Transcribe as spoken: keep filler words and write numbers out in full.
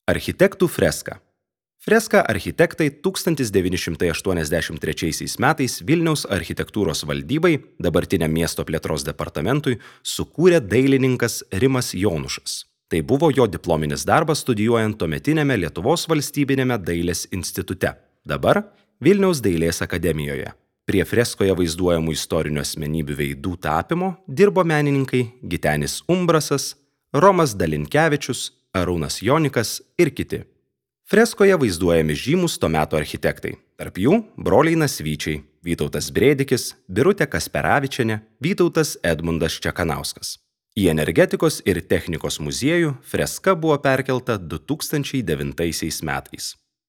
Architektų freska. Freską architektai tūkstantis devyni šimtai aštuoniasdešimt trečiaisiais metais Vilniaus architektūros valdybai, dabartiniam miesto plėtros departamentui, sukūrė dailininkas Rimas Jonušas. Tai buvo jo diplominis darbas studijuojant tuometiniame Lietuvos valstybinėme dailės institute, dabar Vilniaus dailės akademijoje. Prie freskoje vaizduojamų istorinių asmenybių veidų tapymo dirbo menininkai Gitenis Umbrasas, Romas Dalinkevičius, Arūnas Jonikas ir kiti. Freskoje vaizduojami žymūs to meto architektai, tarp jų broliai Nasvyčiai, Vytautas Brėdikis, Birutė Kasperavičienė, Vytautas Edmundas Čekanauskas. Į Energetikos ir technikos muziejų freska buvo perkelta du tūkstančiai devintaisiais metais.